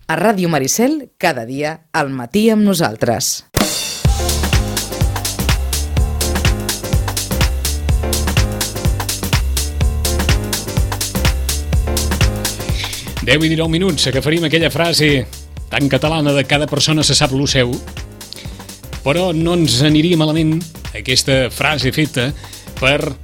A Ràdio Maricel, cada dia, al matí amb nosaltres. Deu i 19 minuts, agafaríem aquella frase tan catalana de cada persona se sap lo seu, però no ens aniria malament aquesta frase feta per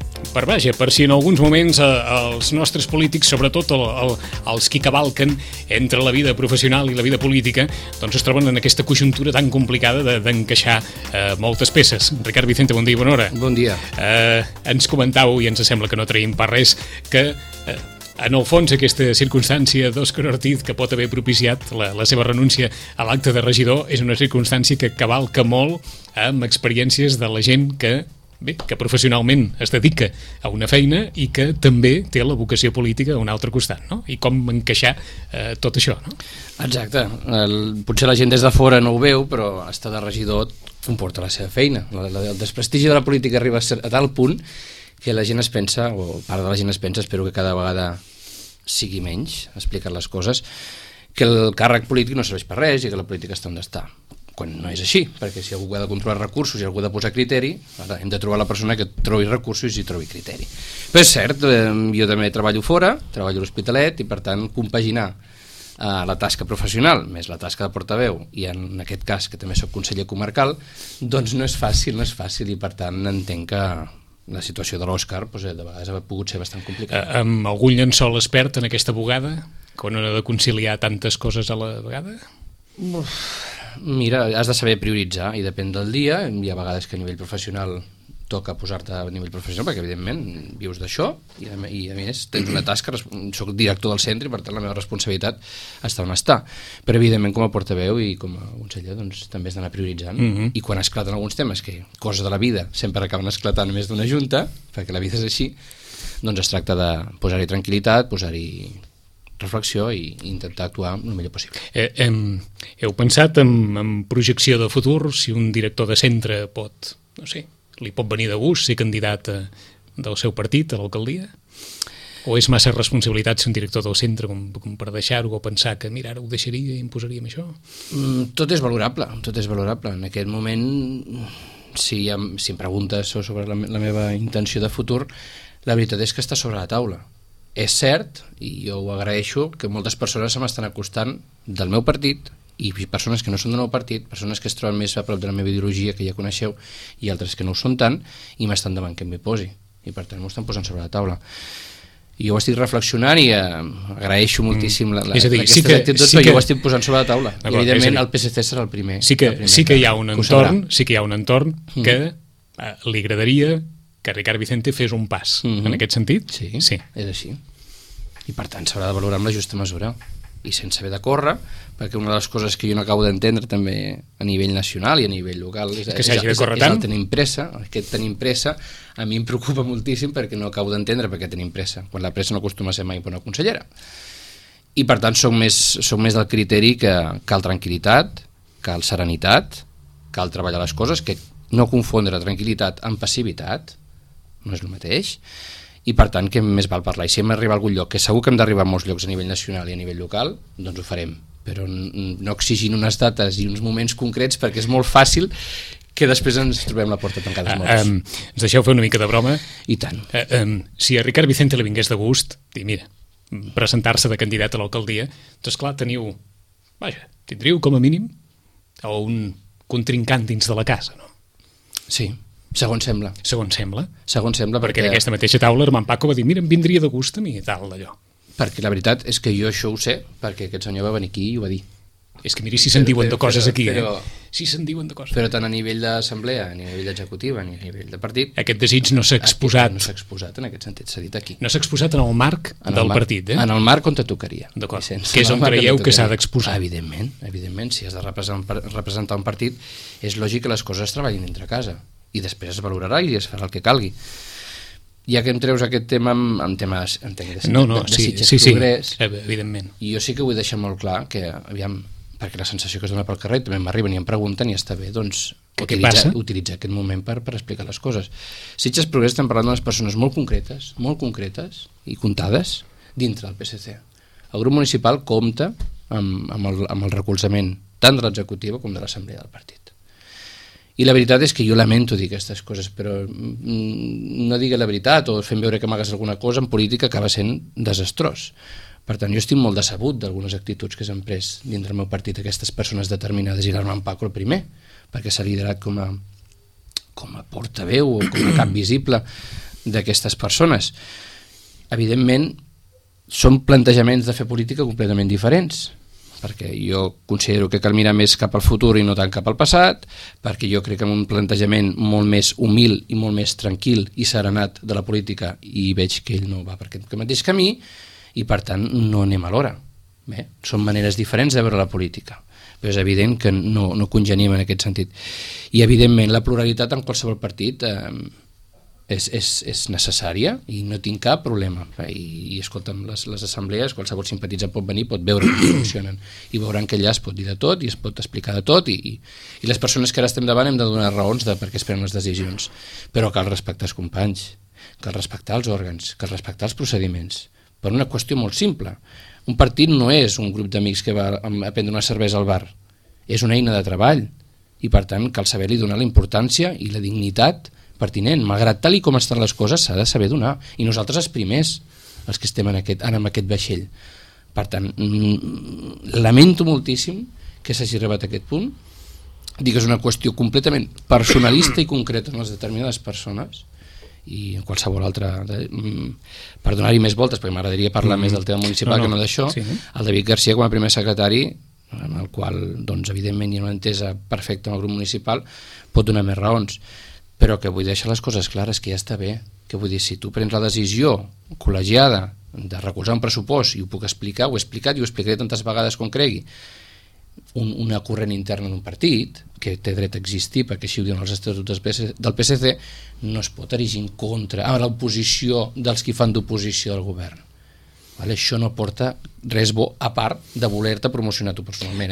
si en alguns moments els nostres polítics, sobretot els qui cavalquen entre la vida professional i la vida política, doncs es troben en aquesta conjuntura tan complicada d'encaixar moltes peces. Ricard Vicente, bon dia i bona hora. Bon dia. Ens comentàveu, i ens sembla que no traiem per res, que en el fons aquesta circumstància d'Òscar Ortiz que pot haver propiciat la seva renúncia a l'acte de regidor és una circumstància que cavalca molt amb experiències de la gent que professionalment es dedica a una feina i que també té la vocació política a un altre costat, no? I com encaixar tot això, no? Exacte. Potser la gent des de fora no ho veu, però estar de regidor comporta la seva feina. El desprestigi de la política arriba a tal punt que la gent es pensa, o part de la gent es pensa, espero que cada vegada sigui menys, explicar les coses, que el càrrec polític no serveix per res i que la política està on està. Quan no és així, perquè si algú ha de controlar recursos i algú ha de posar criteri, ara hem de trobar la persona que trobi recursos i trobi criteri. Però és cert, jo també treballo fora, treballo a l'Hospitalet i per tant compaginar la tasca professional més la tasca de portaveu i en aquest cas que també soc conseller comarcal, doncs no és fàcil i per tant entenc que la situació de l'Òscar de vegades ha pogut ser bastant complicada. Amb algun llençol expert en aquesta bugada, quan ha de conciliar tantes coses a la vegada? Mira, has de saber prioritzar i depèn del dia. Hi ha vegades que a nivell professional toca posar-te a nivell professional perquè evidentment vius d'això i a més tens una tasca, soc director del centre i per tant la meva responsabilitat està on està, però evidentment com a portaveu i com a conseller doncs també has d'anar prioritzant i quan esclaten alguns temes que coses de la vida sempre acaben esclatant més d'una junta perquè la vida és així, doncs es tracta de posar-hi tranquil·litat, posar-hi reflexió i intentar actuar el millor possible. Heu pensat en projecció de futur, si un director de centre pot, no sé, li pot venir de gust ser candidat del seu partit a l'alcaldia? O és massa responsabilitat ser un director del centre com per deixar-ho o pensar que mira, ara ho deixaria i em posaria amb això? Tot és valorable. En aquest moment, si em preguntes sobre la meva intenció de futur, la veritat és que està sobre la taula. És cert, i jo ho agraeixo, que moltes persones se m'estan acostant del meu partit i persones que no són del meu partit, persones que es troben més a prop de la meva ideologia que ja coneixeu i altres que no ho són tant i m'estan demanant que m'hi posi i per tant m'ho estan posant sobre la taula. I jo ho estic reflexionant i agraeixo moltíssim aquestes actituds, però jo ho estic posant sobre la taula. I evidentment el PSC serà el primer. Sí que hi ha un entorn que li agradaria que Ricard Vicente fes un pas en aquest sentit? Sí, és així. I per tant s'haurà de valorar amb la justa mesura i sense haver de córrer, perquè una de les coses que jo no acabo d'entendre també a nivell nacional i a nivell local és el tenim pressa. Aquest tenim pressa a mi em preocupa moltíssim perquè no acabo d'entendre per què tenim pressa, quan la pressa no acostuma a ser mai per una consellera. I per tant soc més del criteri que cal tranquil·litat, cal serenitat, cal treballar les coses, que no confondre tranquil·litat amb passivitat, no és el mateix, i per tant que més val parlar, i si hem d'arribar a algun lloc, que segur que hem d'arribar a molts llocs a nivell nacional i a nivell local, doncs ho farem, però no exigint unes dates i uns moments concrets perquè és molt fàcil que després ens trobem la porta tancada als morts. Ens deixeu fer una mica de broma? I tant. Si a Ricard Vicente li vingués de gust i mira, presentar-se de candidat a l'alcaldia, doncs clar, tindríeu com a mínim un contrincant dins de la casa, no? Sí. Segons sembla. Perquè en aquesta mateixa taula Armand Paco va dir mira, em vindria de gust a mi i tal d'allò. Perquè la veritat és que jo això ho sé, perquè aquest senyor va venir aquí i ho va dir. És que miri si se'n diuen de coses aquí, si se'n diuen de coses. Però tant a nivell d'assemblea, a nivell executiva, a nivell de partit... Aquest desig no s'ha exposat. No s'ha exposat en aquest sentit, s'ha dit aquí. No s'ha exposat en el marc del partit, En el marc on te tocaria. D'acord, que és on creieu que s'ha d'exposar. Evidentment, si has de representar un partit, és lògic que les coses es treballin entre casa i després es valorarà i es farà el que calgui. Ja que em treus aquest tema amb temes de Sitges Progrés, evidentment. I jo sí que vull deixar molt clar que, aviam, perquè la sensació que es dona pel carrer també m'arriben i em pregunten i està bé, doncs, utilitzar aquest moment per explicar les coses. Sitges Progrés estem parlant d'unes persones molt concretes i comptades dintre del PSC. El grup municipal compta amb el recolzament tant de l'executiva com de l'assemblea del partit. I la veritat és que jo lamento dir aquestes coses, però no digui la veritat o fent veure que m'hagués alguna cosa en política acaba sent desastrós. Per tant, jo estic molt decebut d'algunes actituds que s'han pres dins del meu partit aquestes persones determinades, i l'Armand Paco el primer, perquè s'ha liderat com a portaveu o com a cap visible d'aquestes persones. Evidentment, són plantejaments de fer política completament diferents, perquè jo considero que cal mirar més cap al futur i no tant cap al passat, perquè jo crec que en un plantejament molt més humil i molt més tranquil i serenat de la política, i veig que ell no va per aquest mateix camí, i per tant no anem a l'hora. Bé, són maneres diferents de veure la política, però és evident que no congenim en aquest sentit. I evidentment la pluralitat en qualsevol partit és necessària i no tinc cap problema. I escolta'm, les assemblees, qualsevol simpatitzant pot venir, pot veure com funcionen, i veuran que allà es pot dir de tot i es pot explicar de tot, i les persones que ara estem davant hem de donar raons de per què es prenen les decisions, però cal respectar els companys, cal respectar els òrgans, cal respectar els procediments, per una qüestió molt simple. Un partit no és un grup d'amics que va a prendre una cervesa al bar, és una eina de treball, i per tant cal saber-li donar la importància i la dignitat pertinent. Malgrat tal i com estan les coses, s'ha de saber donar, i nosaltres els primers, els que estem en aquest vaixell. Per tant, lamento moltíssim que s'hagi arribat a aquest punt. Dic que és una qüestió completament personalista i concreta en les determinades persones, i en qualsevol altra, per donar-hi més voltes, perquè m'agradaria parlar més del tema municipal que no d'això. Sí. El David Garcia, com a primer secretari, en el qual, doncs, evidentment, hi ha una entesa perfecta amb el grup municipal, pot donar més raons, però que vull deixar les coses clares, que ja està bé, que vull dir, si tu prens la decisió col·legiada de recolzar un pressupost, i ho puc explicar, ho he explicat i ho explicaré tantes vegades com cregui, una corrent interna d'un partit, que té dret a existir perquè així ho diuen els estatuts del PSC, no es pot erigir en contra a l'oposició dels qui fan d'oposició al govern. Vale? Això no porta res bo a part de voler-te promocionar tu personalment.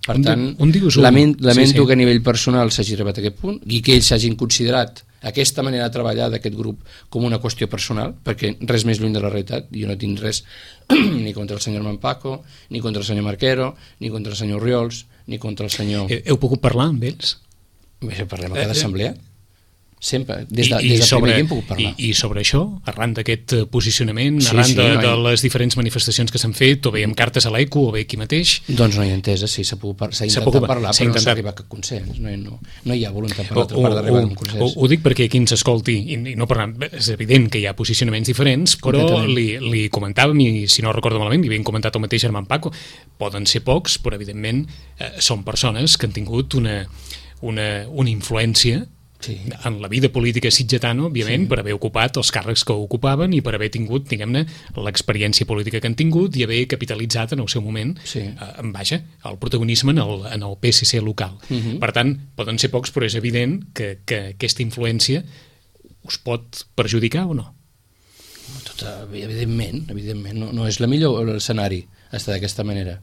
Per tant, lamento que a nivell personal s'hagi arribat a aquest punt i que ells s'hagin considerat aquesta manera de treballar d'aquest grup com una qüestió personal, perquè res més lluny de la realitat. Jo no tinc res ni contra el senyor Armand Paco, ni contra el senyor Marquero, ni contra el senyor Oriols, ni contra el senyor... Heu pogut parlar amb ells? Parlem a cada assemblea. Sempre, des del primer dia hem pogut parlar. I sobre això, arran d'aquest posicionament, arran de les diferents manifestacions que s'han fet, o bé amb cartes a l'ECO, o bé aquí mateix... Doncs no hi ha entesa, sí, s'ha intentat parlar, però no s'ha arribat a cap consens, no hi ha voluntat per l'altra part d'arribar a un consens. Ho dic perquè qui ens escolti, i no parlant, és evident que hi ha posicionaments diferents, però li comentàvem, i si no recordo malament, li havien comentat el mateix Armand Paco, poden ser pocs, però evidentment són persones que han tingut una influència en la vida política sitgetana, òbviament, per haver ocupat els càrrecs que ocupaven i per haver tingut, diguem-ne, l'experiència política que han tingut i haver capitalitzat en el seu moment el protagonisme en el PSC local. Per tant, poden ser pocs, però és evident que aquesta influència us pot perjudicar o no? Evidentment, no és el millor escenari estar d'aquesta manera,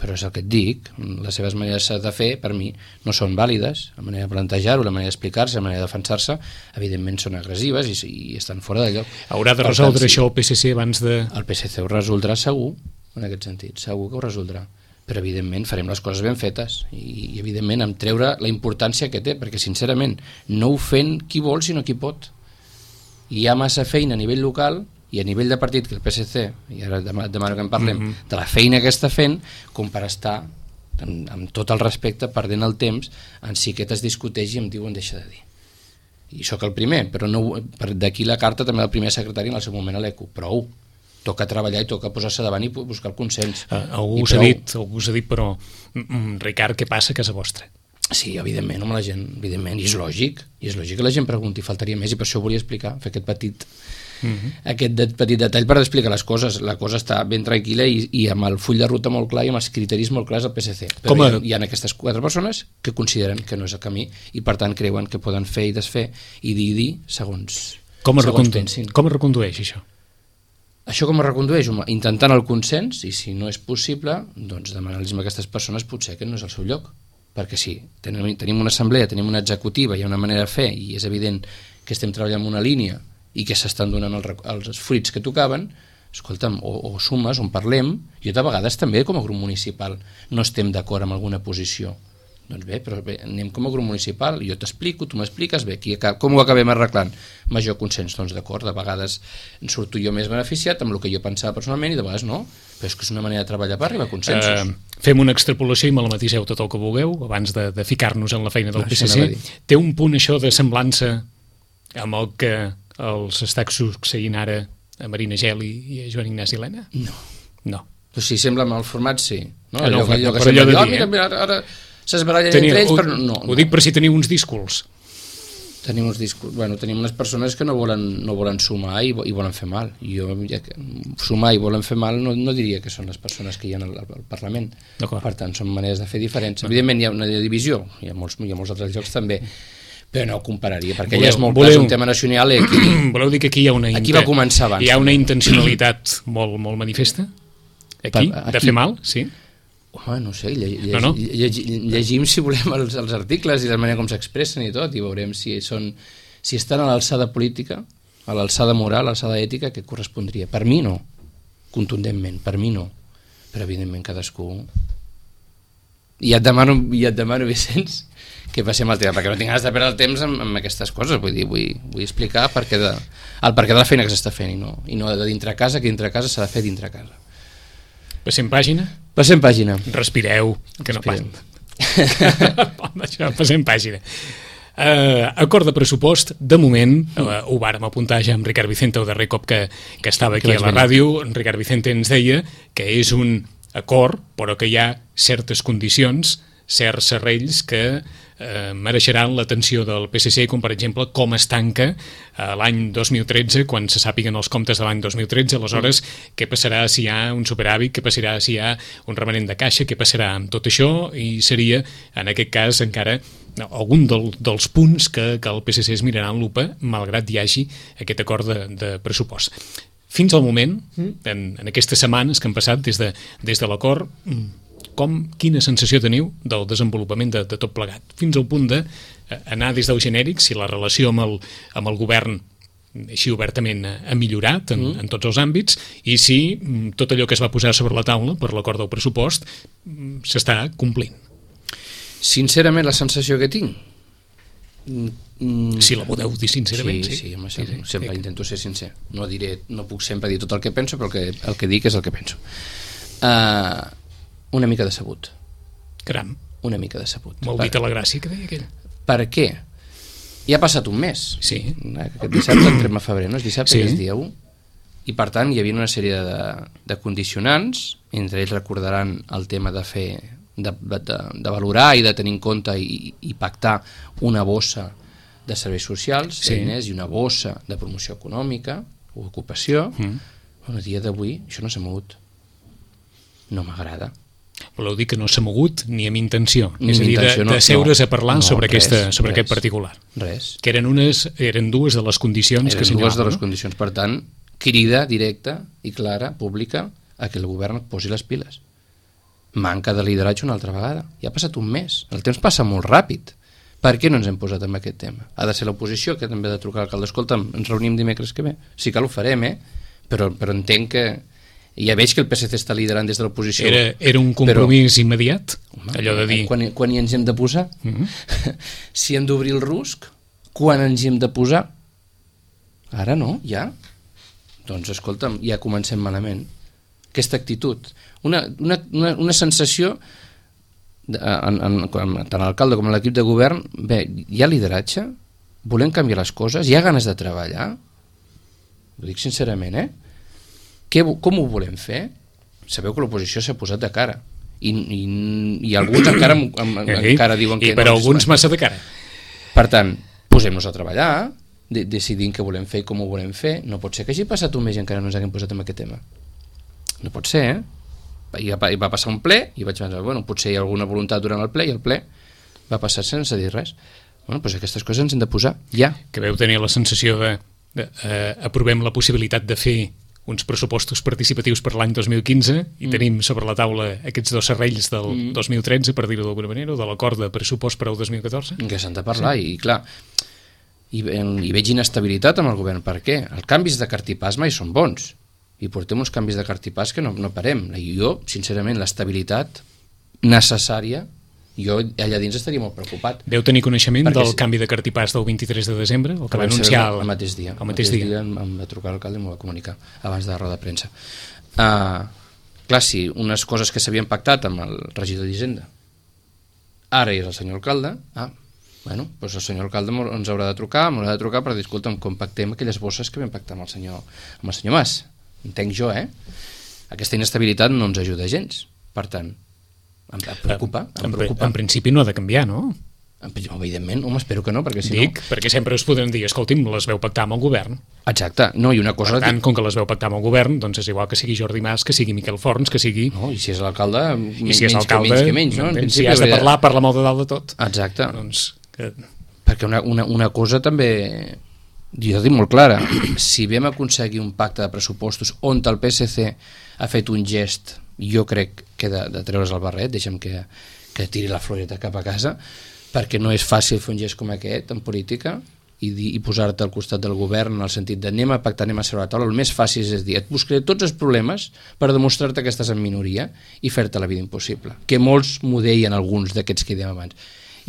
però és el que et dic, les seves maneres de fer, per mi, no són vàlides, la manera de plantejar-ho, la manera d'explicar-se, la manera de defensar-se, evidentment són agressives i estan fora de lloc. Haurà de resoldre això el PSC abans de... El PSC ho resoldrà segur, en aquest sentit, segur que ho resoldrà, però evidentment farem les coses ben fetes i evidentment em treure la importància que té, perquè sincerament no ho fent qui vol sinó qui pot. Hi ha massa feina a nivell local i a nivell de partit que el PSC, i ara demano que en parlem, de la feina que està fent, com per estar, amb tot el respecte, perdent el temps en si que es discuteix i em diuen deixa de dir. I sóc el primer, però d'aquí la carta també del primer secretari en el seu moment a l'ECO. Prou, toca treballar i toca posar-se davant i buscar el consens. Algú us ha dit, però Ricard, què passa a casa vostra? Sí, evidentment, home, la gent, evidentment, i és lògic que la gent pregunti, faltaria més, i per això ho volia explicar, fer aquest petit detall per explicar les coses. La cosa està ben tranquil·la i amb el full de ruta molt clar i amb els criteris molt clars del PSC. Però hi ha aquestes 4 persones que consideren que no és el camí i per tant creuen que poden fer i desfer i dir segons pensin. Com es recondueix això? Això com es recondueix? Intentant el consens, i si no és possible, doncs demanar-los a aquestes persones potser que no és el seu lloc. Perquè sí, tenim una assemblea, tenim una executiva, hi ha una manera de fer i és evident que estem treballant en una línia i que s'estan donant els fruits que tocaven, escolta'm, o sumes, on parlem. Jo de vegades també com a grup municipal no estem d'acord amb alguna posició. Doncs bé, però bé, anem com a grup municipal, jo t'explico, tu m'expliques, bé, com ho acabem arreglant? Major consens, doncs d'acord, de vegades surto jo més beneficiat amb el que jo pensava personalment i de vegades no, però és que és una manera de treballar per arribar a consensos. Fem una extrapolació i me la matiseu tot el que vulgueu abans de ficar-nos en la feina del PSC. Té un punt això de semblança amb el que els està succeint ara a Marina Geli i a Joan Ignasi Elena? No. Doncs si sembla amb el format, sí. No, allò que sembla dir, mira, ara s'esbarallen entre ells, però no. Ho dic per si teniu uns díscols. Tenim unes persones que no volen sumar i volen fer mal. Sumar i volen fer mal no diria que són les persones que hi ha al Parlament. Per tant, són maneres de fer diferents. Evidentment hi ha una divisió, hi ha molts altres llocs també, però no ho compararia, perquè allà és molt clar, és un tema nacional i aquí... Voleu dir que aquí aquí va començar abans. Hi ha una intencionalitat molt manifesta? Aquí? De fer mal? Sí? Home, no sé, llegim si volem els articles i la manera com s'expressen i tot, i veurem si estan a l'alçada política, a l'alçada moral, a l'alçada ètica que correspondria. Per mi no, contundentment, per mi no, però evidentment cadascú... I et demano, Vicenç, que passem el tema, perquè no tinc ganes de perdre el temps amb aquestes coses, vull explicar el perquè de la feina que s'està fent i no de dintre casa, que dintre casa s'ha de fer dintre casa. Passem pàgina? Passem pàgina. Respireu, que no passa. Passem pàgina. Acord de pressupost, de moment, ho vàrem apuntar ja amb Ricard Vicente el darrer cop que estava aquí a la ràdio. Ricard Vicente ens deia que és un acord, però que hi ha certes condicions, certs serrells que mereixeran l'atenció del PSC, com per exemple com es tanca l'any 2013, quan se sàpiguen els comptes de l'any 2013, aleshores què passarà si hi ha un superàvit, què passarà si hi ha un remanent de caixa, què passarà amb tot això, i seria en aquest cas encara algun dels punts que el PSC es mirarà en lupa, malgrat hi hagi aquest acord de pressupost. Fins al moment, en aquestes setmanes que han passat des de l'acord, quina sensació teniu del desenvolupament de tot plegat, fins al punt d'anar des del genèric, si la relació amb el govern així obertament ha millorat en tots els àmbits, i si tot allò que es va posar sobre la taula per l'acord del pressupost s'està complint. Sincerament, la sensació que tinc... Si la podeu dir sincerament. Sí, sempre intento ser sincer. No puc sempre dir tot el que penso, però el que dic és el que penso. Una mica decebut. Caram. Una mica decebut. Molt dit a la gràcia que deia aquell. Per què? Ja ha passat un mes. Sí. Aquest dissabte entrem a febrer, no? És dissabte, que és dia 1. I per tant hi havia una sèrie de condicionants, entre ells recordaran el tema de fer, de valorar i de tenir en compte i pactar una bossa de serveis socials, diners, i una bossa de promoció econòmica o ocupació. A dia d'avui això no s'ha mogut. No m'agrada. Voleu dir que no s'ha mogut ni amb intenció, és a dir, de seure's a parlar sobre aquest particular. Res. Que eren dues de les condicions que s'assenyalaven. Dues de les condicions, per tant, crida directa i clara, pública, a que el govern posi les piles. Manca de lideratge una altra vegada. Ja ha passat un mes. El temps passa molt ràpid. Per què no ens hem posat en aquest tema? Ha de ser l'oposició que també ha de trucar al alcalde. Escolta'm, ens reunim dimecres que ve. Sí que ho farem, però entenc que... Ja veig que el PSC està liderant des de l'oposició. Era un compromís immediat? Allò de dir... Quan hi ens hem de posar? Si hem d'obrir el rusc, quan ens hi hem de posar? Ara no, ja. Doncs escolta'm, ja comencem malament. Aquesta actitud. Una sensació, tant l'alcalde com l'equip de govern, bé, hi ha lideratge? Volem canviar les coses? Hi ha ganes de treballar? Ho dic sincerament, Com ho volem fer? Sabeu que l'oposició s'ha posat de cara i alguns encara diuen que no. I per alguns massa de cara. Per tant, posem-nos a treballar, decidim què volem fer i com ho volem fer. No pot ser que hagi passat un mes i encara no ens haguem posat en aquest tema. No pot ser, I va passar un ple i vaig pensar, potser hi ha alguna voluntat durant el ple, i el ple va passar sense dir res. Doncs aquestes coses ens hem de posar ja. Que veu tenir la sensació de aprovem la possibilitat de fer uns pressupostos participatius per l'any 2015 i tenim sobre la taula aquests dos serrells del 2013, per dir-ho d'alguna manera, o de l'acord de pressupost per al 2014. Que s'han de parlar, i clar, i veig inestabilitat amb el govern. Per què? Els canvis de cartipàs mai són bons, i portem uns canvis de cartipàs que no parem. I jo, sincerament, l'estabilitat necessària, jo allà dins estaria molt preocupat. Veu tenir coneixement del canvi de cartipàs del 23 de desembre, el que va anunciar el mateix dia. El mateix dia em va trucar l'alcalde i m'ho va comunicar abans de la roda de premsa. Clar, sí, unes coses que s'havien pactat amb el regidor d'Hisenda, ara és el senyor alcalde, bueno, doncs el senyor alcalde ens haurà de trucar per dir, escolta'm, com pactem aquelles bosses que vam pactar amb el senyor Mas. Entenc jo, Aquesta inestabilitat no ens ajuda gens. Per tant, em preocupa. En principi no ha de canviar, no? Evidentment, espero que no, perquè si no... perquè sempre us podran dir, escolti'm, les veu pactar amb el govern. Exacte, no, i una cosa... Per tant, com que les veu pactar amb el govern, doncs és igual que sigui Jordi Mas, que sigui Miquel Forns, que sigui... No, i si és l'alcalde, menys que menys, no? Si has de parlar, parla molt de dalt de tot. Exacte. Perquè una cosa també... Jo dic molt clara, si vam aconseguir un pacte de pressupostos on el PSC ha fet un gest, jo crec que de treure's el barret, deixa'm que tiri la floreta cap a casa, perquè no és fàcil fer un gest com aquest en política i posar-te al costat del govern en el sentit de anem a pactar, anem a seure a la taula. El més fàcil és dir, et buscaré tots els problemes per demostrar-te que estàs en minoria i fer-te la vida impossible, que molts m'ho deien alguns d'aquests que dèiem abans,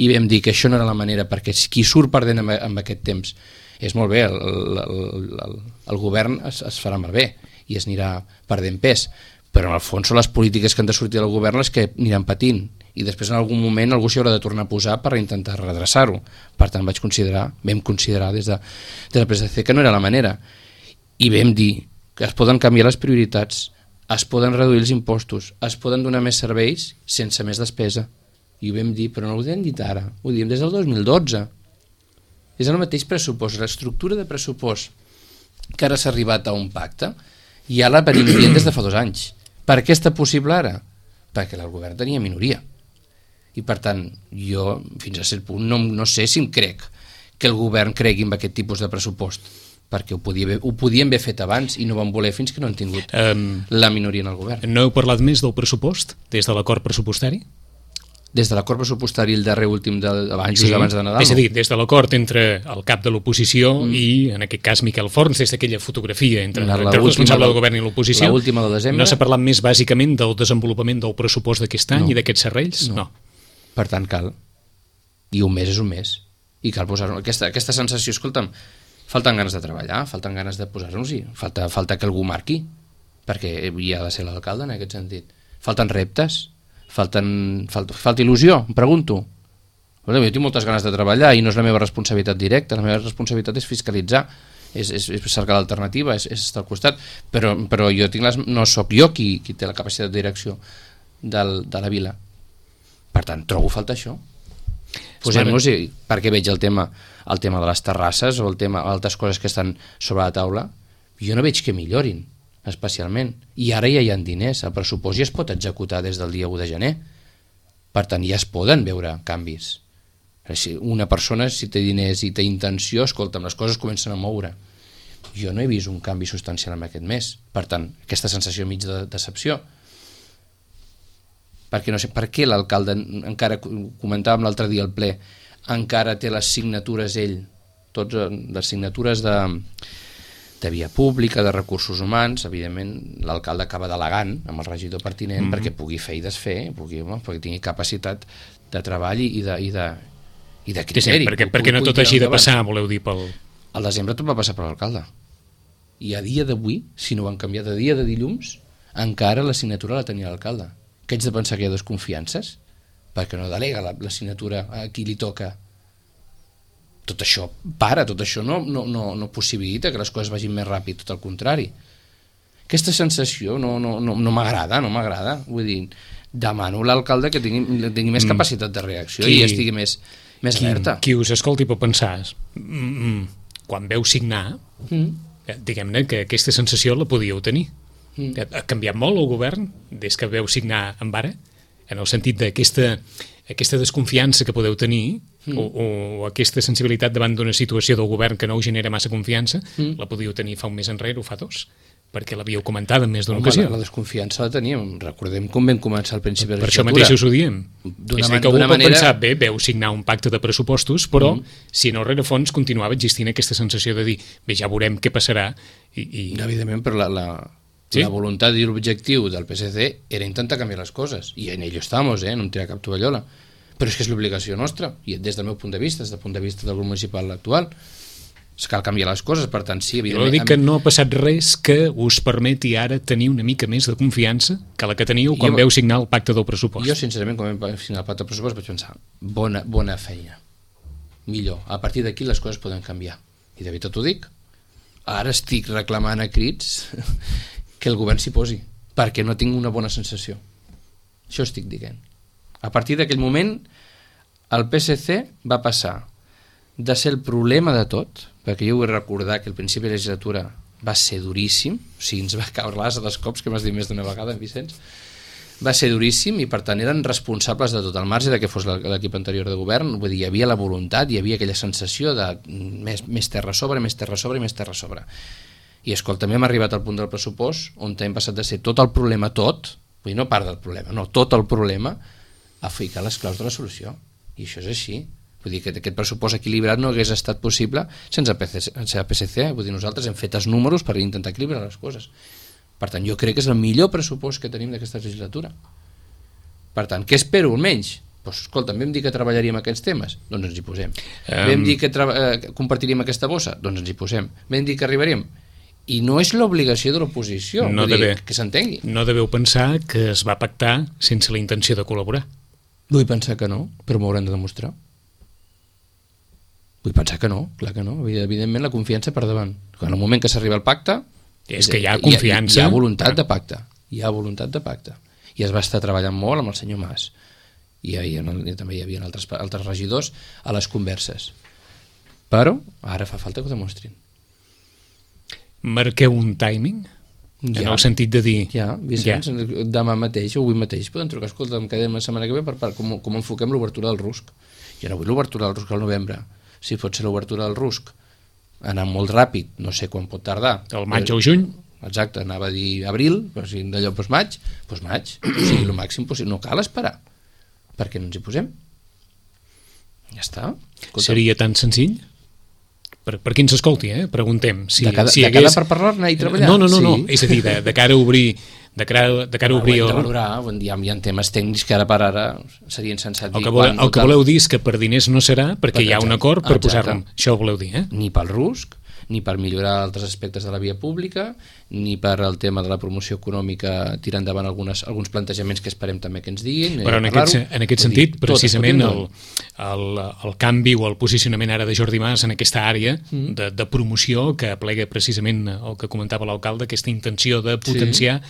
i vam dir que això no era la manera, perquè qui surt perdent amb aquest temps és molt bé, el govern es farà malbé i es anirà perdent pes, però en el fons són les polítiques que han de sortir del govern les que aniran patint, i després en algun moment algú s'hi haurà de tornar a posar per intentar redreçar-ho. Per tant vam considerar des del PSC que no era la manera, i vam dir que es poden canviar les prioritats, es poden reduir els impostos, es poden donar més serveis sense més despesa, i ho vam dir, però no ho hem dit ara, ho diem des del 2012. És el mateix pressupost, l'estructura de pressupost que ara s'ha arribat a un pacte, ja la venim dient des de fa 2 anys. Per què està possible ara? Perquè el govern tenia minoria. I per tant, jo fins a cert punt no sé si em crec que el govern cregui en aquest tipus de pressupost, perquè ho podien haver fet abans i no van voler fins que no han tingut la minoria en el govern. No heu parlat més del pressupost des de l'acord pressupostari? Des de l'acord pressupostari el darrer últim abans de Nadal? És a dir, des de l'acord entre el cap de l'oposició i, en aquest cas, Miquel Forns, des d'aquella fotografia entre el responsable del govern i l'oposició, l'última de desembre, no s'ha parlat més bàsicament del desenvolupament del pressupost d'aquest any i d'aquests serrells? No. Per tant, cal. I un mes és un mes. I cal posar-nos aquesta sensació, escolta'm, falten ganes de treballar, falten ganes de posar-nos-hi, falta que algú marqui, perquè hi ha de ser l'alcalde en aquest sentit. Falten reptes, falta il·lusió, em pregunto. Jo tinc moltes ganes de treballar i no és la meva responsabilitat directa, la meva responsabilitat és fiscalitzar, és cercar l'alternativa, és estar al costat, però jo no sóc jo qui té la capacitat de direcció de la vila. Per tant, trobo falta això. Posem-nos-hi, perquè veig el tema de les terrasses o altres coses que estan sobre la taula, jo no veig que millorin especialment, i ara ja hi ha diners, el pressupost ja es pot executar des del dia 1 de gener, per tant ja es poden veure canvis. Si una persona, si té diners i té intenció, escolta'm, les coses comencen a moure. Jo no he vist un canvi substancial en aquest mes, per tant, aquesta sensació mig de decepció, perquè no sé per què l'alcalde, encara comentàvem l'altre dia al ple, encara té les signatures ell, totes les signatures de via pública, de recursos humans. Evidentment l'alcalde acaba delegant amb el regidor pertinent perquè pugui fer i desfer, perquè tingui capacitat de treball i de criteri. Perquè no tot hagi de passar, voleu dir, pel... Al desembre tot va passar per l'alcalde, i a dia d'avui, si no ho han canviat, a dia de dilluns encara la signatura la tenia l'alcalde. Que haig de pensar que hi ha desconfiances perquè no delega la signatura a qui li toca. Tot això no possibilita que les coses vagin més ràpid, tot el contrari. Aquesta sensació no m'agrada, vull dir, demano a l'alcalde que tingui més capacitat de reacció i estigui més alerta. Qui us escolti pot pensar, quan veu signar, diguem-ne que aquesta sensació la podíeu tenir. Ha canviat molt el govern des que veu signar amb ara, en el sentit d'aquesta desconfiança que podeu tenir o aquesta sensibilitat davant d'una situació del govern que no us genera massa confiança, la podíeu tenir fa un mes enrere o fa 2, perquè l'havíeu comentat en més d'una ocasió. La desconfiança la teníem, recordem com vam començar al principi de la legislatura. Per això mateix us ho diem. És a dir, que algú pot pensar, veu signar un pacte de pressupostos, però si no, rere fons continuava existint aquesta sensació de dir, ja veurem què passarà. Evidentment, però Sí? La voluntat i l'objectiu del PSC era intentar canviar les coses, i en ello estamos, no em tira cap tovallola, però és que és l'obligació nostra, i des del meu punt de vista, des del punt de vista del grup municipal actual, cal canviar les coses, per tant sí, evidentment... Jo dic que no ha passat res que us permeti ara tenir una mica més de confiança que la que teníeu quan veu signar el pacte del pressupost. Jo sincerament, quan vam signar el pacte del pressupost vaig pensar, bona feina, millor, a partir d'aquí les coses poden canviar, i de veritat ho dic. Ara estic reclamant a crits que el govern s'hi posi, perquè no tinc una bona sensació. Això estic dient. A partir d'aquell moment, el PSC va passar de ser el problema de tot, perquè jo vull recordar que el principi de la legislatura va ser duríssim, o sigui, ens va caure l'as dels cops, que m'has dit més d'una vegada, Vicenç, va ser duríssim i per tant eren responsables de tot, al marge de que fos l'equip anterior de govern. Vull dir, hi havia la voluntat, hi havia aquella sensació de més terra a sobre, més terra a sobre i més terra a sobre. I escolta, també hem arribat al punt del pressupost on hem passat de ser tot el problema, vull dir, no part del problema, no, tot el problema, a ficar les claus de la solució, i això és així. Vull dir que aquest pressupost equilibrat no hagués estat possible sense PSC. Vull dir, nosaltres hem fet els números per intentar equilibrar les coses. Per tant, jo crec que és el millor pressupost que tenim d'aquesta legislatura. Per tant, què espero almenys? Doncs escolta, vam dir que treballaríem aquests temes, doncs ens hi posem. Vam dir que compartiríem aquesta bossa, doncs ens hi posem. Vam dir que arribaríem. I no és l'obligació de l'oposició, que s'entengui. No deveu pensar que es va pactar sense la intenció de col·laborar. Vull pensar que no, però m'ho haurem de demostrar. Vull pensar que no, clar que no. Evidentment la confiança per davant. En el moment que s'arriba al pacte... És que hi ha confiança... Hi ha voluntat de pacte. Hi ha voluntat de pacte. I es va estar treballant molt amb el senyor Mas. I també hi havia altres regidors a les converses. Però ara fa falta que ho demostrin. Marqueu un timing? En el sentit de dir... Vicenç, demà mateix o avui mateix poden trucar, escolta, em quedem la setmana que ve per com enfoquem l'obertura del RUSC. Jo no vull l'obertura del RUSC al novembre. Si pot ser l'obertura del RUSC anar molt ràpid, no sé quan pot tardar. El maig o juny? Exacte, anava a dir abril, però si d'allò maig, o sigui, el màxim possible. No cal esperar. Per què no ens hi posem? Ja està. Escolta. Seria tan senzill? Per qui ens escolti, preguntem. Si, de cara per parlar-ne i treballar? No. És a dir, de cara a obrir... De cara a obrir... Hem de valorar, hi ha temes tècnics que ara per ara seria insensat dir... El que voleu dir és que per diners no serà, perquè hi ha un acord per posar-lo. Això ho voleu dir, Ni pel RUSC, ni per millorar altres aspectes de la via pública, ni per el tema de la promoció econòmica, tirar endavant alguns plantejaments que esperem també que ens diguin. Però en aquest sentit, precisament, el canvi o el posicionament ara de Jordi Mas en aquesta àrea de promoció que aplega precisament el que comentava l'alcalde, aquesta intenció de potenciar,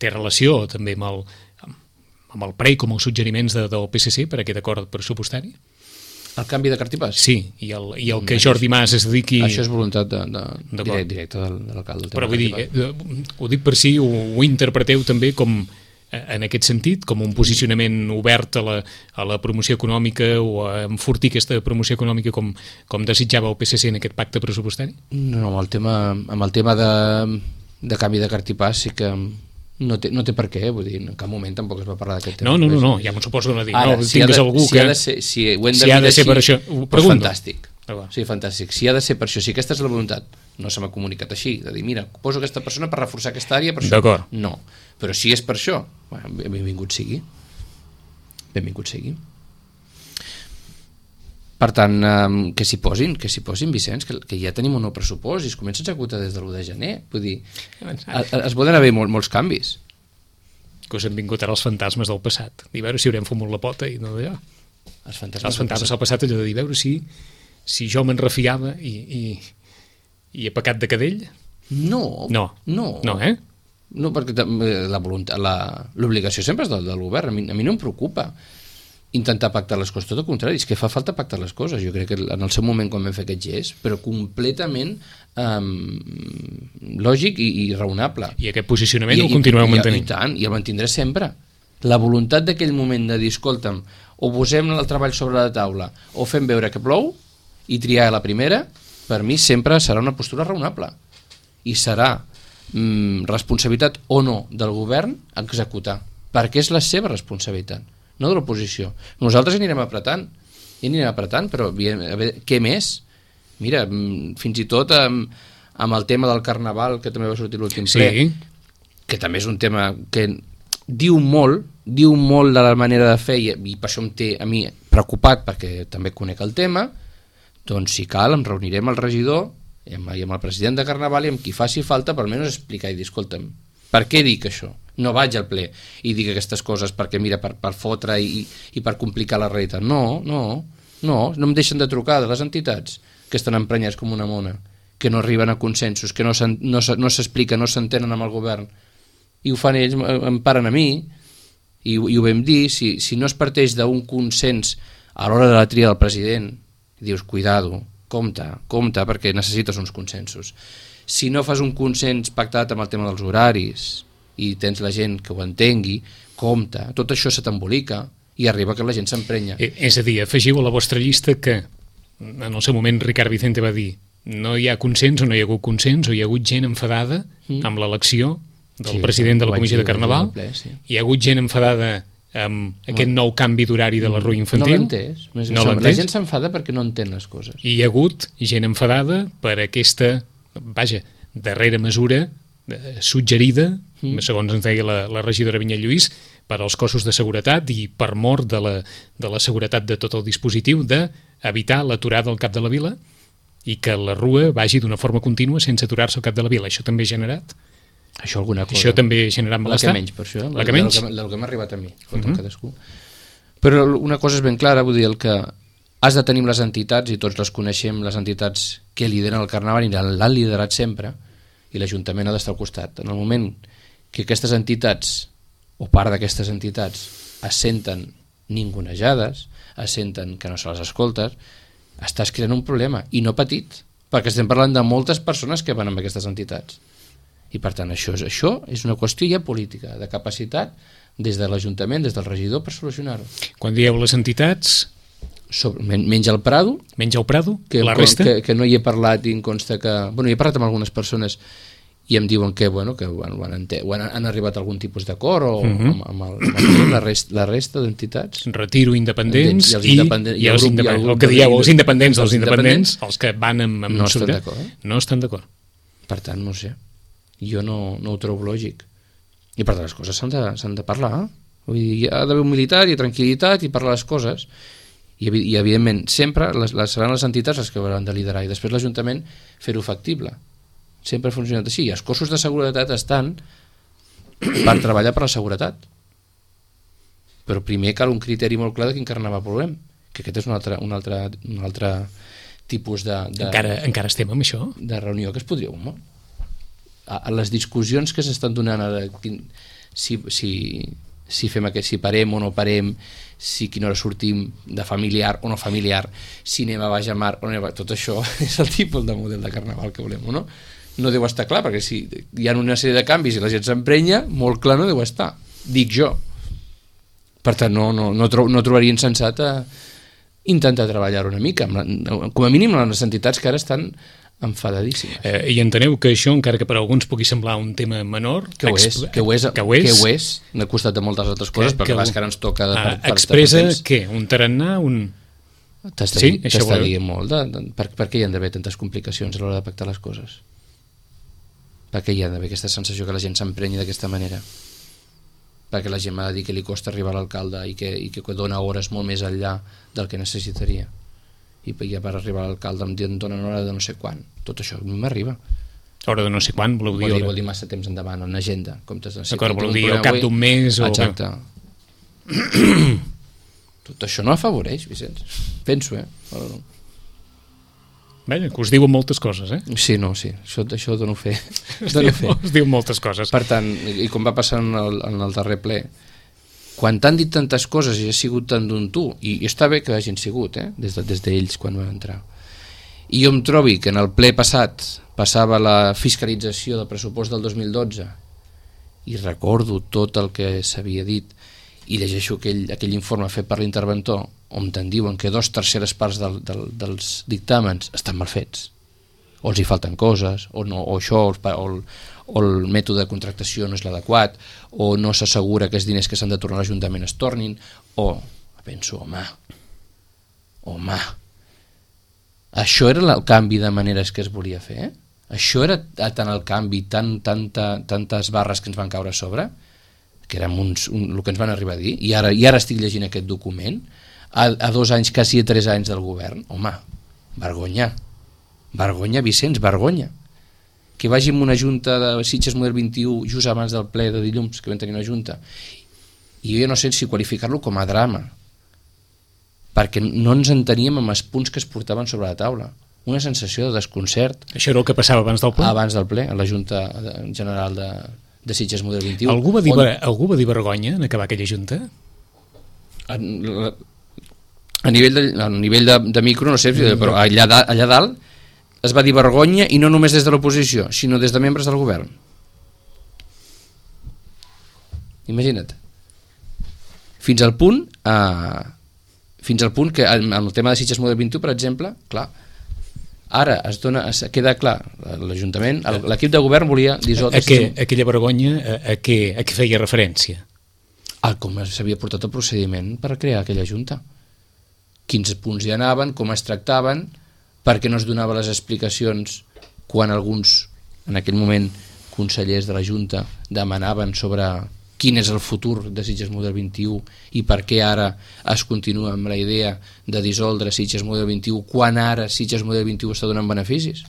té relació també amb el PREI com els suggeriments del PSC per aquest acord pressupostari? El canvi de cartipàs? Sí, i el que Jordi Mas es dediqui... Això és voluntat directa de l'alcalde. Però vull dir, ho dic per si ho interpreteu també com, en aquest sentit, com un posicionament obert a la promoció econòmica o a enfortir aquesta promoció econòmica com desitjava el PSC en aquest pacte pressupostari? No, amb el tema de canvi de cartipàs sí que... No té per què, vull dir, en cap moment tampoc es va parlar d'aquest tema. No, ja m'ho suposo que no dic. Tingues algú que... Si ho hem de dir així, per això, fantàstic. Sí, fantàstic. Si ha de ser per això, si aquesta és la voluntat, no se m'ha comunicat així, de dir, mira, poso aquesta persona per reforçar aquesta àrea, per això. D'acord. No, però si és per això, benvingut sigui. Benvingut sigui. Per tant, que s'hi posin, Vicenç, que ja tenim un nou pressupost i es comença a executar des de l'1 de gener. Vull dir, es poden haver molts canvis. Que us han vingut ara els fantasmes del passat. I veure si haurem fumut la pota i no d'allò. Els fantasmes del passat, allò de dir, veure si jo me'n refiava i he pecat de cadell. No, perquè l'obligació sempre és del govern. A mi no em preocupa intentar pactar les coses, tot el contrari, és que fa falta pactar les coses. Jo crec que en el seu moment quan vam fer aquest gest, però completament lògic i raonable. I aquest posicionament el continueu mantenint? I tant, i el mantindré sempre. La voluntat d'aquell moment de dir, escolta'm, o posem el treball sobre la taula o fem veure que plou i triar la primera, per mi sempre serà una postura raonable i serà responsabilitat o no del govern executar, perquè és la seva responsabilitat, no de l'oposició. Nosaltres anirem apretant, però a veure, què més? Mira, fins i tot amb el tema del Carnaval, que també va sortir l'últim ple, que també és un tema que diu molt de la manera de fer, i per això em té a mi preocupat, perquè també conec el tema. Doncs si cal em reuniré amb el regidor i amb el president de Carnaval i amb qui faci falta per almenys explicar i dir, escolta'm, per què dic això? No vaig al ple i dic aquestes coses perquè mira, per fotre i per complicar la realitat. No em deixen de trucar de les entitats que estan emprenyats com una mona, que no arriben a consensos, que no s'expliquen, no s'entenen amb el govern, i ho fan ells, em paren a mi, i ho vam dir. Si no es parteix d'un consens a l'hora de la tria del president, dius, cuidado, compte, perquè necessites uns consensos. Si no fas un consens pactat amb el tema dels horaris i tens la gent que ho entengui, compte, tot això se t'embolica i arriba que la gent s'emprenya. És a dir, afegiu a la vostra llista que en el seu moment Ricard Vicente va dir no hi ha consens o no hi ha hagut consens, o hi ha hagut gent enfadada amb l'elecció del president de la Comissió de Carnaval, hi ha hagut gent enfadada amb aquest nou canvi d'horari de la rua infantil. No l'entès. La gent s'enfada perquè no entén les coses. I hi ha hagut gent enfadada per aquesta, darrera mesura suggerida, segons ens deia la regidora Vinyet Lluís, per als cossos de seguretat i per mort de la seguretat de tot el dispositiu, d'evitar l'aturada al cap de la vila i que la rua vagi d'una forma contínua sense aturar-se al cap de la vila. Això també ha generat... Això també ha generat malestar? La que menys, per això. La que menys? El que m'ha arribat a mi, cadascú. Però una cosa és ben clara, vull dir, el que has de tenir les entitats, i tots les coneixem, les entitats que lideren el Carnaval i l'han liderat sempre, i l'Ajuntament ha d'estar al costat. En el moment que aquestes entitats, o part d'aquestes entitats, es senten ningunejades, es senten que no se les escoltes, estàs creant un problema, i no petit, perquè estem parlant de moltes persones que van amb aquestes entitats. I per tant això és una qüestió ja política, de capacitat des de l'Ajuntament, des del regidor, per solucionar-ho. Quan dieu les entitats... Menys el Prado. Menys el Prado? La resta? Que no hi he parlat i em consta que... Bueno, hi he parlat amb algunes persones i em diuen que han arribat a algun tipus d'acord o amb la resta d'entitats. Retiro independents i els independents. El que dieu, els independents dels independents, els que van amb no estan d'acord. No estan d'acord. Per tant, no sé. Jo no ho trobo lògic. I per tant, les coses s'han de parlar. Vull dir, hi ha d'haver humilitat i tranquil·litat i parlar les coses. I evidentment, sempre seran les entitats les que hauran de liderar i després l'Ajuntament fer-ho factible. Sempre ha funcionat així. I els cossos de seguretat estan per treballar per la seguretat. Però primer cal un criteri molt clar de quin carnaval volem. Que aquest és un altre tipus de... Encara estem amb això? De reunió que es podria... A les discussions que s'estan donant ara, si fem si parem o no parem, si quina hora sortim de familiar o no familiar, si anem a baix a mar o no anem a... Tot això és el tipus de model de carnaval que volem, o no? No deu estar clar, perquè si hi ha una sèrie de canvis i la gent s'emprenya, molt clar no deu estar, dic jo. Per tant, no trobaria insensat intentar treballar una mica, com a mínim les entitats que ara estan enfadadíssimes. I enteneu que això, encara que per alguns pugui semblar un tema menor, que ho és, n'ha costat de moltes altres coses, perquè que ara ens toca expressa què? Un tarannà? T'està dient molt per què hi han d'haver tantes complicacions a l'hora de pactar les coses? Per què hi ha d'haver aquesta sensació que la gent s'emprenya d'aquesta manera? Perquè la gent m'ha de dir que li costa arribar a l'alcalde i que dona hores molt més enllà del que necessitaria, i ja per arribar a l'alcalde em donen hora de no sé quan. Tot això a mi m'arriba. Hora de no sé quan, vol dir massa temps endavant, en agenda. D'acord, vol dir al cap d'un mes. Exacte. Tot això no afavoreix, Vicenç. Penso, Bé, que us diuen moltes coses, Sí. Això dono fe. Us diuen moltes coses. Per tant, i com va passar en el darrer ple, quan t'han dit tantes coses i ha sigut tant d'un tu, i està bé que hagin sigut, des d'ells quan van entrar, i jo em trobi que en el ple passat passava la fiscalització del pressupost del 2012 i recordo tot el que s'havia dit i llegeixo aquell informe fet per l'interventor on te'n diuen que 2/3 parts dels dictàmens estan mal fets, o els hi falten coses, o això, o el mètode de contractació no és l'adequat, o no s'assegura que els diners que s'han de tornar a l'Ajuntament es tornin, o penso, home, això era el canvi de maneres que es volia fer, Això era tant el canvi, tantes barres que ens van caure a sobre, que érem el que ens van arribar a dir, i ara estic llegint aquest document, a 2 anys, quasi a 3 anys del govern. Home, vergonya, Vicenç, vergonya. Que vagi en una junta de Sitges Model 21 just abans del ple de dilluns, que vam tenir una junta, i jo no sé si qualificar-lo com a drama, perquè no ens enteníem amb els punts que es portaven sobre la taula. Una sensació de desconcert. Això era el que passava abans del ple? Abans del ple, a la Junta General de Sitges Model 21. Algú va dir vergonya en acabar aquella junta? A nivell de micro, no sé, però allà dalt es va dir vergonya, i no només des de l'oposició, sinó des de membres del govern. Imagina't. Fins al punt que en el tema de Sitges Model 21, per exemple, clar, ara queda clar, l'Ajuntament, l'equip de govern volia dissoldre... Aquella vergonya a què feia referència? A com s'havia portat el procediment per crear aquella junta. Quins punts hi anaven, com es tractaven, perquè no es donava les explicacions quan alguns, en aquell moment, consellers de la Junta demanaven sobre quin és el futur de Sitges Model 21 i per què ara es continua amb la idea de dissoldre Sitges Model 21 quan ara Sitges Model 21 està donant beneficis,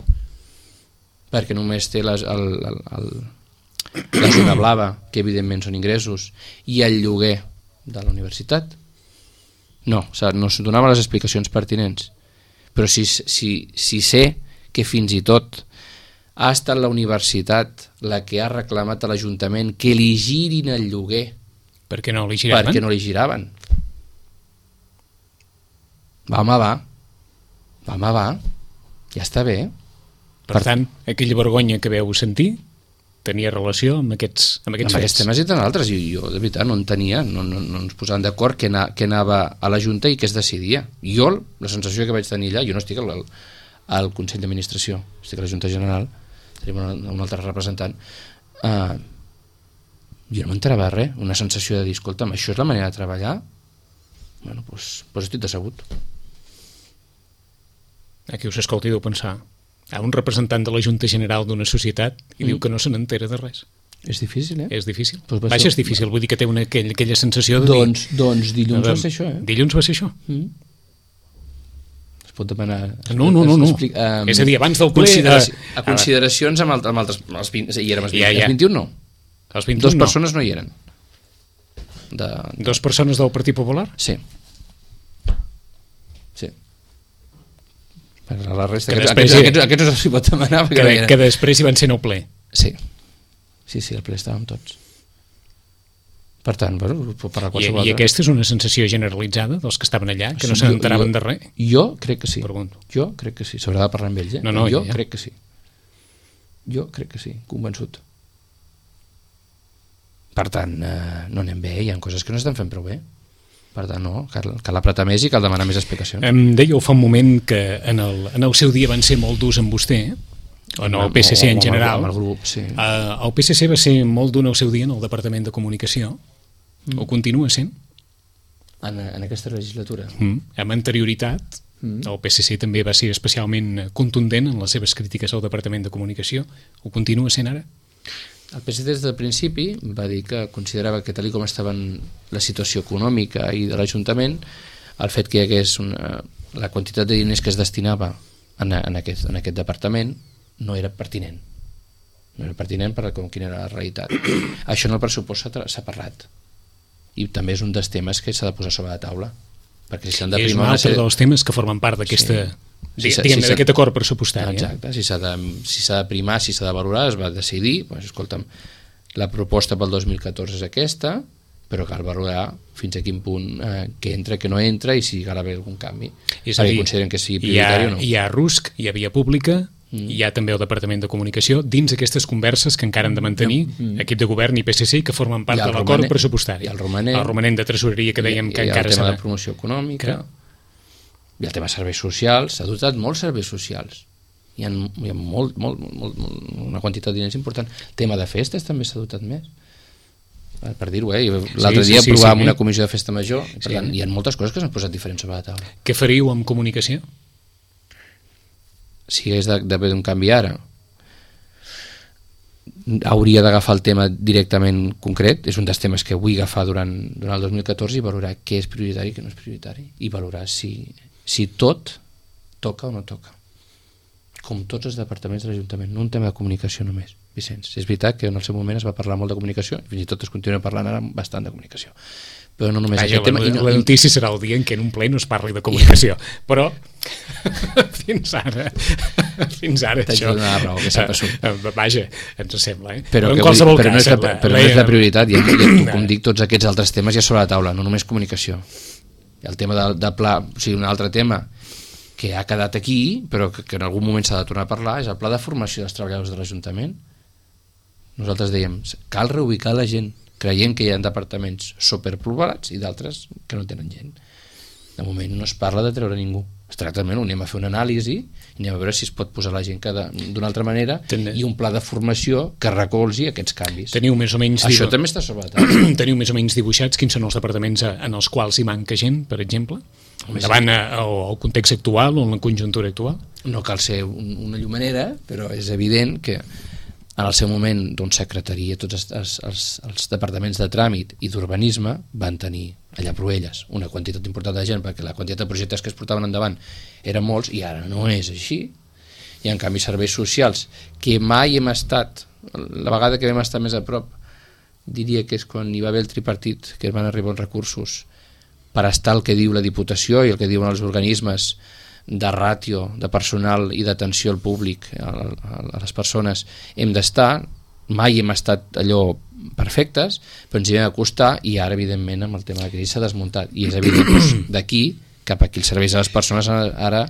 perquè només té la zona blava, que evidentment són ingressos, i el lloguer de la universitat. No es donaven les explicacions pertinents, però si sé que fins i tot ha estat la universitat la que ha reclamat a l'Ajuntament que li girin el lloguer. Per què no li giraven? Perquè no li giraven. Va. Ja està bé. Per tant, aquella vergonya que veu sentir tenia relació amb aquests aquests temes i tant altres. I jo, de veritat, no entenia, no ens posaven d'acord què anava a la Junta i què es decidia. Jo, la sensació que vaig tenir allà, jo no estic al Consell d'Administració, estic a la Junta General, tenim un altre representant, jo no m'enterava de res, una sensació de dir, escolta'm, això és la manera de treballar? Bueno, doncs estic decebut. Aquí us escolti deu pensar, a un representant de la Junta General d'una societat i diu que no se n'entera de res. És difícil, És difícil. Vaja, és difícil, vull dir que té aquella sensació de dir... Doncs dilluns va ser això, Dilluns va ser això? Pot demanar... No. És a dir, abans del ple... A consideracions amb altres... Hi érem els 21, no. Els 21 Dos persones no hi eren. Dos persones del Partit Popular? Sí. Per la resta... Aquests no s'hi pot demanar. Que després hi van ser en el ple. Sí, el ple estàvem tots. Per tant, per a qualsevol... I aquesta és una sensació generalitzada dels que estaven allà, que no se n'enteraven de res? Jo crec que sí. Pregunto. Jo crec que sí. S'haurà de parlar amb ells, Jo crec que sí. Jo crec que sí, convençut. Per tant, no anem bé, hi ha coses que no estan fent prou bé. Per tant, no, cal apretar més i cal demanar més explicacions. Em dèieu fa un moment que en el seu dia van ser molt durs amb vostè, o en el PSC en general. Amb el grup, sí. El PSC va ser molt dur en el seu dia en el Departament de Comunicació. Ho continua sent? En aquesta legislatura? Amb anterioritat, el PSC també va ser especialment contundent en les seves crítiques al Departament de Comunicació. Ho continua sent ara? El PSC des del principi va dir que considerava que tal com estava la situació econòmica i de l'Ajuntament, el fet que hi hagués la quantitat de diners que es destinava en aquest departament no era pertinent. No era pertinent per quina era la realitat. Això en el pressupost s'ha parlat. I també és un dels temes que s'ha de posar sobre la taula. Perquè si s'han de és un altre dels temes que formen part d'aquesta... d'aquest acord pressupostari. Exacte, si s'ha de primar, si s'ha de valorar, es va decidir, escolta'm, la proposta pel 2014 és aquesta, però cal valorar fins a quin punt que entra, que no entra i si cal haver algun canvi. Perquè consideren que sigui prioritari o no. Hi ha RUSC, hi ha Via Pública, hi ha també el Departament de Comunicació, dins aquestes converses que encara han de mantenir equip de govern i PSC que formen part de l'acord pressupostari. I el romanent de tresoreria que dèiem que encara s'ha... I el tema de promoció econòmica... I el tema de serveis socials, s'ha dotat molts serveis socials. Hi ha una quantitat de diners important. El tema de festes també s'ha dotat més. Per dir-ho, l'altre dia aprovàvem una comissió de festa major, per tant, hi ha moltes coses que s'han posat diferents sobre la taula. Què faríeu amb comunicació? Si hagués d'haver un canvi ara, hauria d'agafar el tema directament concret, és un dels temes que vull agafar durant el 2014 i valorar què és prioritari i què no és prioritari, i valorar si tot toca o no toca, com tots els departaments de l'Ajuntament, no un tema de comunicació només, Vicenç. És veritat que en el seu moment es va parlar molt de comunicació, i fins i tot es continua parlant ara bastant de comunicació, però no només aquest tema. La notícia serà el dia en què en un ple no es parli de comunicació, però fins ara això... Raó, que vaja, ens sembla, però no és la prioritat, i com dic, tots aquests altres temes ja sobre la taula, no només comunicació. El tema de pla, o sigui, un altre tema que ha quedat aquí, però que en algun moment s'ha de tornar a parlar, és el pla de formació dels treballadors de l'Ajuntament. Nosaltres dèiem, cal reubicar la gent, creient que hi ha departaments superpoblats i d'altres que no tenen gent. De moment no es parla de treure ningú. Exactament, anem a fer una anàlisi i anem a veure si es pot posar la gent d'una altra manera i un pla de formació que recolzi aquests canvis. Teniu més o menys... Això també està sobre la taula. Teniu més o menys dibuixats quins són els departaments en els quals hi manca gent, per exemple? Davant el context actual o en la conjuntura actual? No cal ser una llumenera, però és evident que en el seu moment secretaria, tots els departaments de tràmit i d'urbanisme van tenir allà a Proelles una quantitat important de gent, perquè la quantitat de projectes que es portaven endavant eren molts, i ara no és així. I en canvi serveis socials, que mai hem estat, la vegada que vam estar més a prop, diria que és quan hi va haver el tripartit, que van arribar uns recursos per estar el que diu la Diputació i el que diuen els organismes de ràtio, de personal i d'atenció al públic, a les persones, hem d'estar, mai hem estat allò perfectes, però ens hi vam acostar, i ara evidentment amb el tema de la crisi s'ha desmuntat, i és evident que d'aquí cap aquí els serveis a les persones ara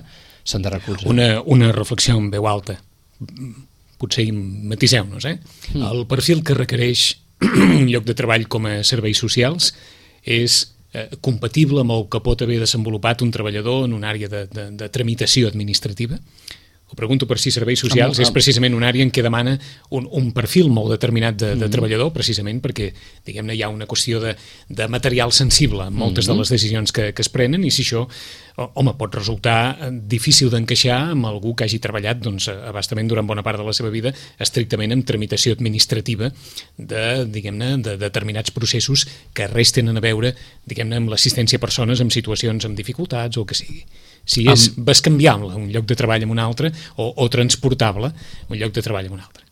s'han de recolzar. Una reflexió en veu alta, potser matiseu-nos, el perfil que requereix un lloc de treball com a serveis socials és compatible amb el que pot haver desenvolupat un treballador en una àrea de tramitació administrativa? Ho pregunto per si serveis socials és precisament una àrea en què demana un perfil molt determinat de treballador, precisament perquè, diguem-ne, hi ha una qüestió de material sensible en moltes de les decisions que es prenen, i si això, home, pot resultar difícil d'encaixar amb algú que hagi treballat, doncs, abastament durant bona part de la seva vida estrictament en tramitació administrativa diguem-ne, de determinats processos que res tenen a veure, diguem-ne, amb l'assistència a persones en situacions amb dificultats o el que sigui. Si és bescanviable un lloc de treball amb un altre o transportable un lloc de treball amb un altre.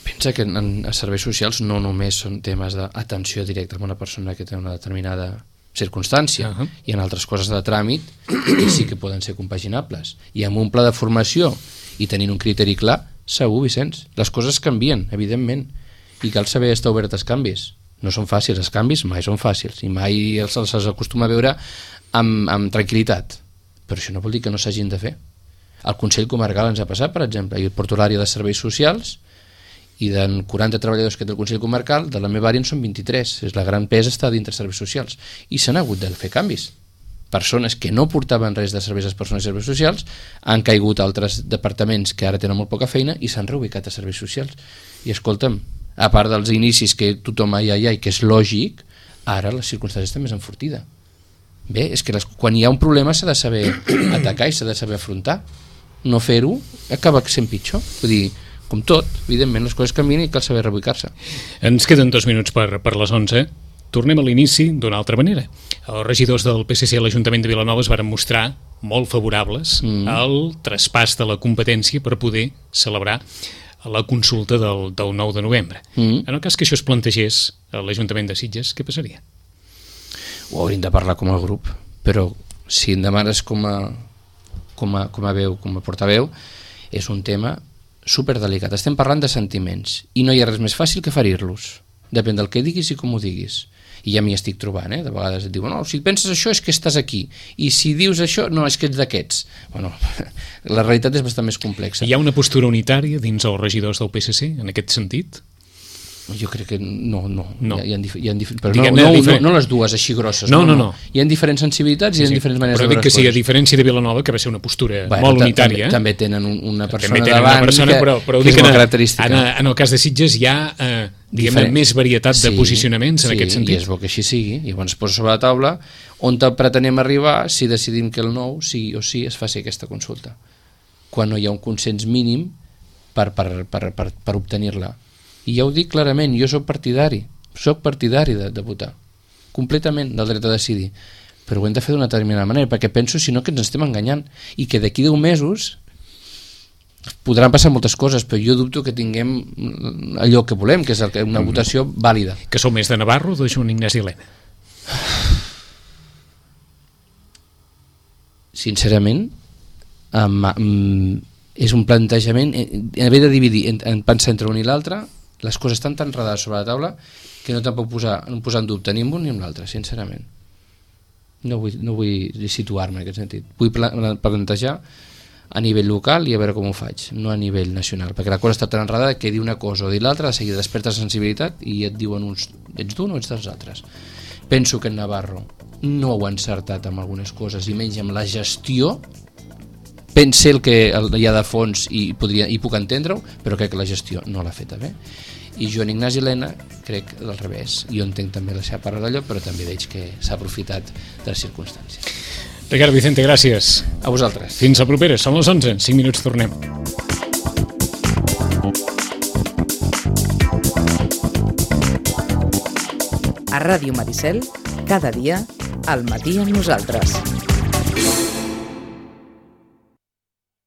Pensa que en serveis socials no només són temes d'atenció directa a una persona que té una determinada circumstància, i en altres coses de tràmit que sí que poden ser compaginables, i amb un pla de formació i tenint un criteri clar, segur, Vicenç, les coses canvien, evidentment, i cal saber estar obert als canvis. No són fàcils, els canvis mai són fàcils i mai els acostuma a veure amb tranquil·litat, però això no vol dir que no s'hagin de fer. El Consell Comarcal ens ha passat, per exemple, jo porto l'àrea de serveis socials, i de 40 treballadors que té el Consell Comarcal, de la meva àrea en són 23, és la gran pesa està dintre serveis socials, i s'han hagut de fer canvis. Persones que no portaven res de serveis a les persones i serveis socials han caigut a altres departaments que ara tenen molt poca feina i s'han reubicat a serveis socials. I escolta'm, a part dels inicis que tothom i que és lògic, ara les circumstàncies estan més enfortides. Bé, és que quan hi ha un problema s'ha de saber atacar i s'ha de saber afrontar. No fer-ho acaba sent pitjor. Vull dir, com tot, evidentment les coses canvien i cal saber reubicar-se. Ens queden 2 minuts per les 11. Tornem a l'inici d'una altra manera. Els regidors del PSC a l'Ajuntament de Vilanova es varen mostrar molt favorables al traspàs de la competència per poder celebrar la consulta del 9 de novembre. En el cas que això es plantegés a l'Ajuntament de Sitges, què passaria? Ho hauríem de parlar com a grup, però si em demanes com a veu, com a portaveu, és un tema superdelicat. Estem parlant de sentiments i no hi ha res més fàcil que ferir-los. Depèn del que diguis i com ho diguis. I ja m'hi estic trobant, de vegades et diuen, no, si penses això és que estàs aquí, i si dius això, no, és que ets d'aquests. Bueno, la realitat és bastant més complexa. Hi ha una postura unitària dins els regidors del PSC en aquest sentit? Jo crec que no. Però no les dues així grosses. No. Hi ha diferents sensibilitats i hi ha diferents maneres de veure les coses. Però dic que sí, a diferència de Vilanova, que va ser una postura molt unitària. També tenen una persona davant però que és molt característica. En el cas de Sitges hi ha més varietat de posicionaments en aquest sentit. I és bo que així sigui. I llavors es posa sobre la taula on pretenem arribar si decidim que el 9 sí o sí es faci aquesta consulta. Quan no hi ha un consens mínim per obtenir-la. I ja ho dic clarament, jo soc partidari de votar, completament del dret a decidir, però ho hem de fer d'una determinada manera, perquè penso, si no, que ens estem enganyant, i que d'aquí 10 mesos podran passar moltes coses, però jo dubto que tinguem allò que volem, que és una votació vàlida. Que sou més de Navarro o de Joan Ignasi Elena? Sincerament, és un plantejament, haver de dividir en pensar entre un i l'altre, les coses estan tan enredades sobre la taula que no te'n puc posar en dubte ni amb un ni amb l'altre, sincerament. No vull situar-me en aquest sentit. Vull plantejar a nivell local i a veure com ho faig, no a nivell nacional, perquè la cosa està tan enredada que dir una cosa o dir l'altra, de seguida desperta sensibilitat i et diuen uns, ets d'un o ets dels altres. Penso que en Navarro no ho ha encertat amb algunes coses i menys amb la gestió. Pense el que hi ha de fons i puc entendre-ho, però crec que la gestió no l'ha feta bé. I Joan Ignasi Elena crec al revés. Jo entenc també la seva part d'allò, però també veig que s'ha aprofitat de les circumstàncies. Ricard Vicente, gràcies. A vosaltres. Fins a propera, són les 11, 5 minuts tornem. A Ràdio Maricel, cada dia, al matí amb nosaltres.